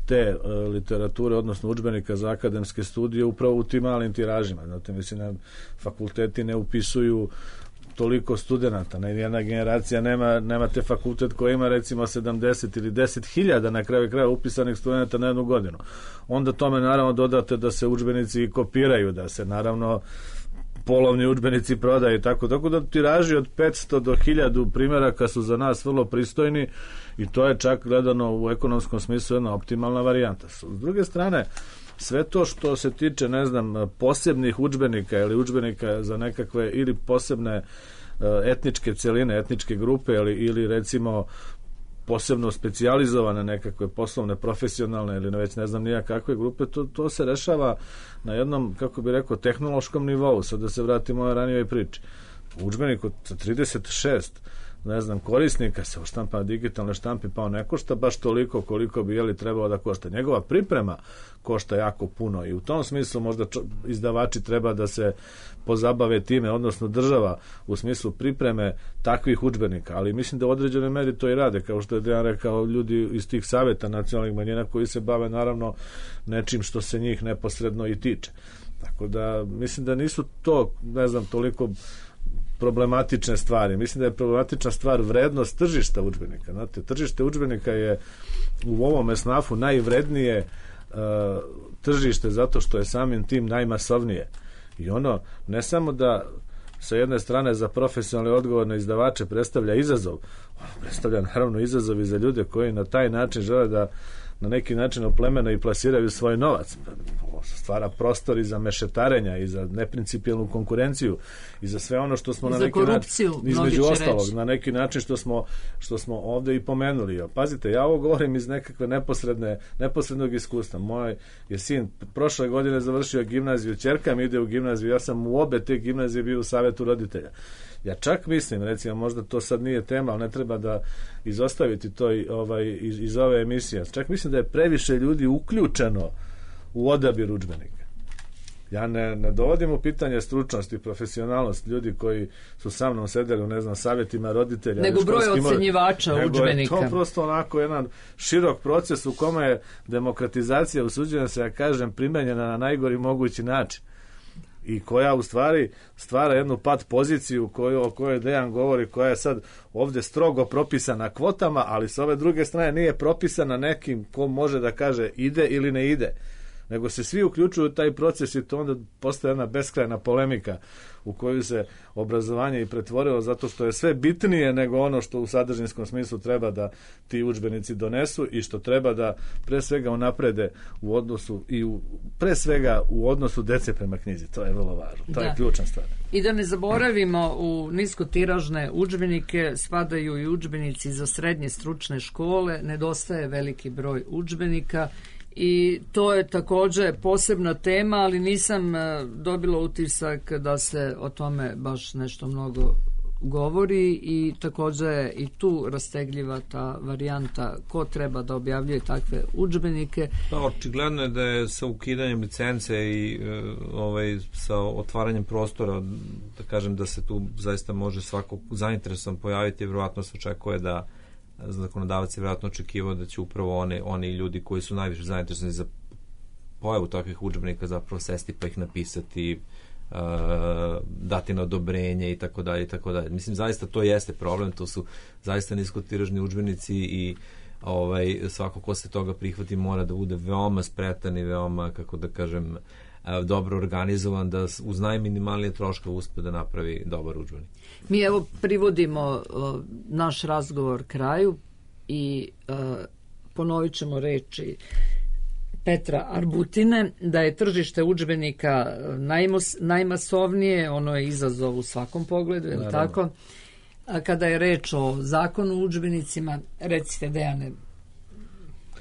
te uh, literature, odnosno udžbenika za akademske studije upravo u tim malim tiražima. Znate, mislim da fakulteti ne upisuju toliko studenata, ne, jedna generacija nema, nema te fakultet koji ima recimo sedamdeset ili deset hiljada na kraju kraja upisanih studenata na jednu godinu. Onda tome naravno dodate da se udžbenici kopiraju, da se naravno polovni udžbenici prodaju i tako, tako da tiraži od petsto do hiljadu primjeraka su za nas vrlo pristojni i to je čak gledano u ekonomskom smislu jedna optimalna varijanta. S druge strane, sve to što se tiče, ne znam, posebnih udžbenika ili udžbenika za nekakve ili posebne etničke celine, etničke grupe ili, ili recimo posebno specijalizovane nekakve poslovne, profesionalne ili već ne znam nija kakve grupe, to, to se rešava na jednom, kako bi rekao, tehnološkom nivou. Sad da se vratimo o ranijoj priči. Udžbenik od trideset šest ne znam, korisnika se štampa na digitalne štampi, pa on ne košta baš toliko koliko bi jeli trebalo da košta. Njegova priprema košta jako puno i u tom smislu možda izdavači treba da se pozabave time, odnosno država u smislu pripreme takvih udžbenika, ali mislim da u određenoj meri to i rade, kao što je Dejan rekao, ljudi iz tih saveta nacionalnih manjina koji se bave naravno nečim što se njih neposredno i tiče. Tako da mislim da nisu to, ne znam, toliko problematične stvari. Mislim da je problematična stvar vrednost tržišta udžbenika. Znate, tržište udžbenika je u ovom esnafu najvrednije uh, tržište zato što je samim tim najmasovnije. I ono, ne samo da sa jedne strane za profesionalne odgovorne izdavače predstavlja izazov, ono predstavlja naravno izazov i za ljude koji na taj način žele da na neki način oplemene i plasiraju svoj novac. Stvara prostor i za mešetarenja i za neprincipijelnu konkurenciju i za sve ono što smo I na neki način između ostalog reći. Na neki način što smo, što smo ovde i pomenuli. Pazite, ja ovo govorim iz nekakve neposredne, neposrednog iskustva. Moj je sin prošle godine završio gimnaziju, ćerka mi ide u gimnaziju, ja sam u obe te gimnazije bio u savetu roditelja. Ja čak mislim, recimo, možda to sad nije tema, ali ne treba da izostaviti to ovaj, iz, iz ove emisije. Čak mislim da je previše ljudi uključeno u odabir udžbenika. Ja ne, ne dovodim u pitanje stručnost i profesionalnost ljudi koji su sa mnom sedeli u, ne znam, savjetima roditelja. Nego broj ocenjivača udžbenika. Nego je to prosto onako jedan širok proces u kome je demokratizacija, usuđujem se, ja kažem, primenjena na najgori mogući način. I koja u stvari stvara jednu pat poziciju koju, o kojoj Dejan govori, koja je sad ovde strogo propisana kvotama, ali s ove druge strane nije propisana nekim ko može da kaže ide ili ne ide, nego se svi uključuju u taj proces i to onda postaje jedna beskrajna polemika u koju se obrazovanje i pretvorilo zato što je sve bitnije nego ono što u sadržinskom smislu treba da ti udžbenici donesu i što treba da pre svega unaprede u odnosu i u, pre svega u odnosu dece prema knjizi. To je vrlo važno. To da. je ključna stvar. I da ne zaboravimo, u niskotiražne udžbenike spadaju i udžbenici za srednje stručne škole, nedostaje veliki broj udžbenika i to je takođe posebna tema, ali nisam dobila utisak da se o tome baš nešto mnogo govori i takođe je i tu rastegljiva ta varijanta ko treba da objavljuje takve udžbenike. Pa, očigledno je da je sa ukidanjem licence i ovaj, sa otvaranjem prostora, da kažem da se tu zaista može svako zainteresovan pojaviti, vjerovatno se očekuje da zakonodavac je vjerojatno očekivao da će upravo oni, oni ljudi koji su najviše zainteresovani za pojavu takvih udžbenika zapravo sesti pa ih napisati, uh, dati na odobrenje i tako dalje i tako dalje. Mislim, zaista to jeste problem, to su zaista niskotiražni udžbenici i ovaj, svako ko se toga prihvati mora da bude veoma spretan i veoma, kako da kažem, dobro organizovan da uz najminimalnije troškove uspe da napravi dobar udžbenik. Mi evo privodimo uh, naš razgovor kraju i uh, ponovit ćemo reči Petra Arbutine da je tržište udžbenika najmos, najmasovnije, ono je izazov u svakom pogledu, je li tako? A kada je reč o zakonu o udžbenicima, recite Dejane.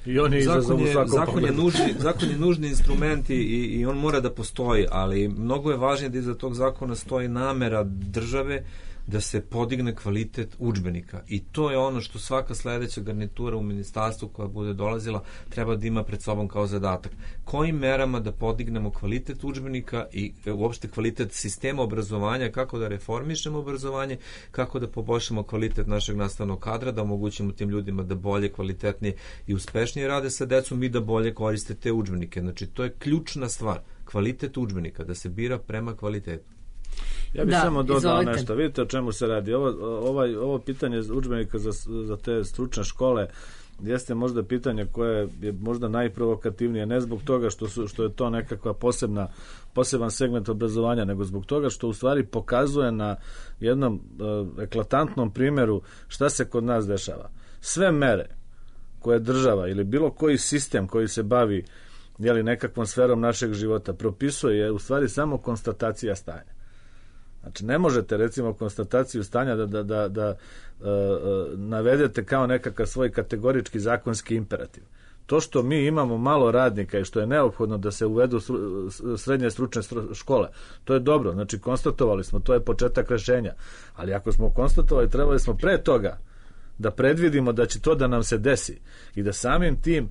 I on je zakon je, zakon je, nužni, zakon je nužni instrument i, i on mora da postoji, ali mnogo je važnije da iza tog zakona stoji namera države da se podigne kvalitet udžbenika i to je ono što svaka sledeća garnitura u ministarstvu koja bude dolazila treba da ima pred sobom kao zadatak. Kojim merama da podignemo kvalitet udžbenika i uopšte kvalitet sistema obrazovanja, kako da reformišemo obrazovanje, kako da poboljšamo kvalitet našeg nastavnog kadra, da omogućimo tim ljudima da bolje, kvalitetnije i uspešnije rade sa decom i da bolje koriste te udžbenike. Znači, to je ključna stvar. Kvalitet udžbenika, da se bira prema kvalitetu. Ja bih da, samo dodao izvolite. Nešto. Vidite o čemu se radi. Ovo, ovaj, ovo pitanje udžbenika za, za te stručne škole jeste možda pitanje koje je možda najprovokativnije, ne zbog toga što, su, što je to nekakva posebna, poseban segment obrazovanja, nego zbog toga što u stvari pokazuje na jednom uh, eklatantnom primjeru šta se kod nas dešava. Sve mere koje država ili bilo koji sistem koji se bavi jeli, nekakvom sferom našeg života propisuje je u stvari samo konstatacija stanja. Znači, ne možete, recimo, konstataciju stanja da, da, da, da uh, uh, navedete kao nekakav svoj kategorički zakonski imperativ. to što mi imamo malo radnika i što je neophodno da se uvedu srednje stručne škole, to je dobro, znači konstatovali smo, to je početak rešenja, ali ako smo konstatovali, trebali smo pre toga da predvidimo da će to da nam se desi i da samim tim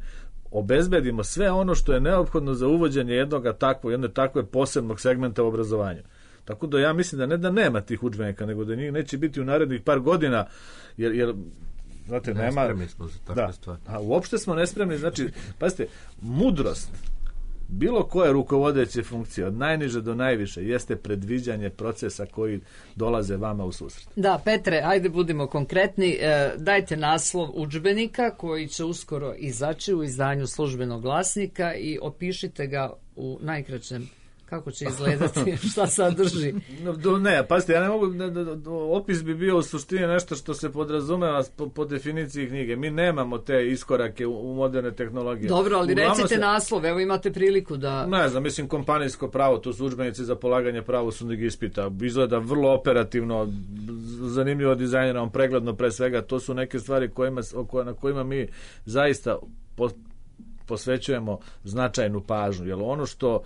obezbedimo sve ono što je neophodno za uvođenje jednog takvog, jedne takve posebnog segmenta u obrazovanju. Tako da ja mislim da ne da nema tih udžbenika, nego da njih neće biti u narednih par godina, jer, jer znate, ne nema... Nespremni smo za takve da, stvari. A uopšte smo nespremni, znači, pazite, mudrost bilo koje rukovodeće funkcije, od najniže do najviše, jeste predviđanje procesa koji dolaze vama u susret. Da, Petre, ajde budimo konkretni. E, dajte naslov udžbenika koji će uskoro izaći u izdanju Službenog glasnika i opišite ga u najkraćem. Kako će izgledati, šta sadrži? Ne, pazite, ja ne mogu, ne, opis bi bio u suštini nešto što se podrazumeva po, po definiciji knjige. Mi nemamo te iskorake u, u moderne tehnologije. Dobro, ali Uglavnom recite se, naslov, evo imate priliku da... Ne znam, mislim, kompanijsko pravo, to su udžbenici za polaganje pravosudnih ispita. Izgleda vrlo operativno, zanimljivo dizajnirano, pregledno pre svega. To su neke stvari kojima, na kojima mi zaista po, posvećujemo značajnu pažnju. Jer ono što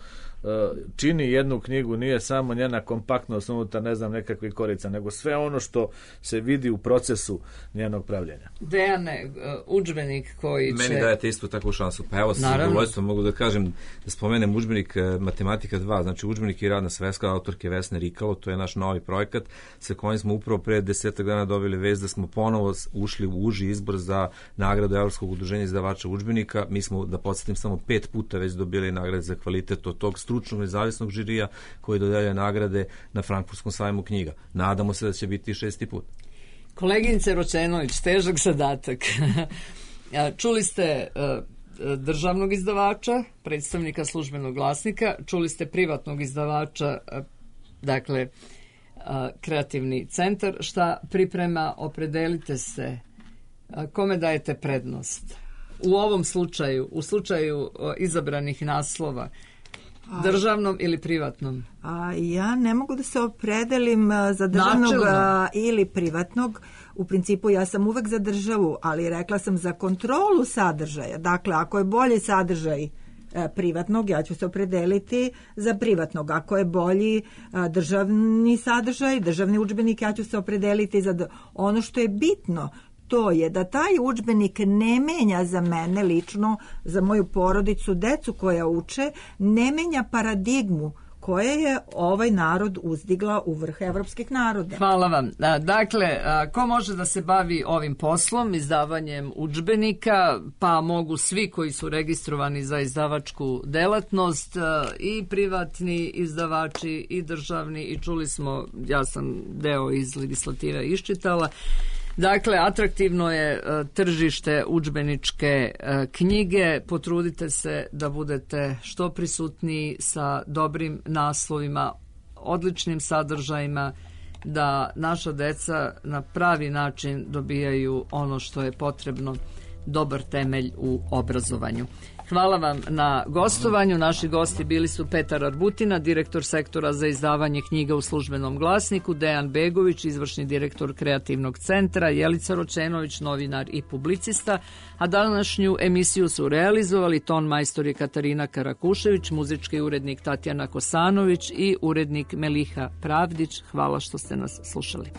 čini jednu knjigu nije samo njena kompaktnost unutar, ne znam, nekakvih korica, nego sve ono što se vidi u procesu njenog pravljenja. Dejane, udžbenik koji će... Meni dajete isto takvu šansu. Pa evo, sa zadovoljstvom mogu da kažem, da spomenem udžbenik Matematika dva, znači udžbenik i radna sveska autorke Vesne Rikalo, to je naš novi projekat sa kojim smo upravo pre desetak dana dobili vest da smo ponovo ušli u uži izbor za nagradu Evropskog udruženja izdavača udžbenika. Mi smo, da podsjetim, samo pet puta već dobili nagrade za kvalitet od tog stručnog nezavisnog žirija koji dodeljuje nagrade na Frankfurtskom sajmu knjiga. Nadamo se da će biti šesti put. Koleginice Ročenović, težak zadatak. Čuli ste državnog izdavača, predstavnika Službenog glasnika, čuli ste privatnog izdavača, dakle Kreativni centar. Šta priprema, opredelite se, kome dajete prednost? U ovom slučaju, u slučaju izabranih naslova, državnom ili privatnom? A, ja ne mogu da se opredelim za državnog a, ili privatnog. U principu ja sam uvek za državu, ali rekla sam za kontrolu sadržaja. Dakle, ako je bolji sadržaj a, privatnog, ja ću se opredeliti za privatnog. Ako je bolji a, državni sadržaj, državni udžbenik, ja ću se opredeliti za... Ono što je bitno, to je da taj udžbenik ne menja za mene lično, za moju porodicu, decu koja uče, ne menja paradigmu koje je ovaj narod uzdigla u vrh evropskih naroda. Hvala vam. Dakle, ko može da se bavi ovim poslom, izdavanjem udžbenika, pa mogu svi koji su registrovani za izdavačku delatnost, i privatni izdavači, i državni, i čuli smo, ja sam deo iz legislative iščitala. Dakle, atraktivno je tržište udžbeničke knjige. Potrudite se da budete što prisutniji sa dobrim naslovima, odličnim sadržajima, da naša deca na pravi način dobijaju ono što je potrebno, dobar temelj u obrazovanju. Hvala vam na gostovanju. Naši gosti bili su Petar Arbutina, direktor sektora za izdavanje knjiga u Službenom glasniku, Dejan Begović, izvršni direktor Kreativnog centra, Jelica Ročenović, novinar i publicista, a današnju emisiju su realizovali ton majstor je Katarina Karakušević, muzički urednik Tatjana Kosanović i urednik Meliha Pravdić. Hvala što ste nas slušali.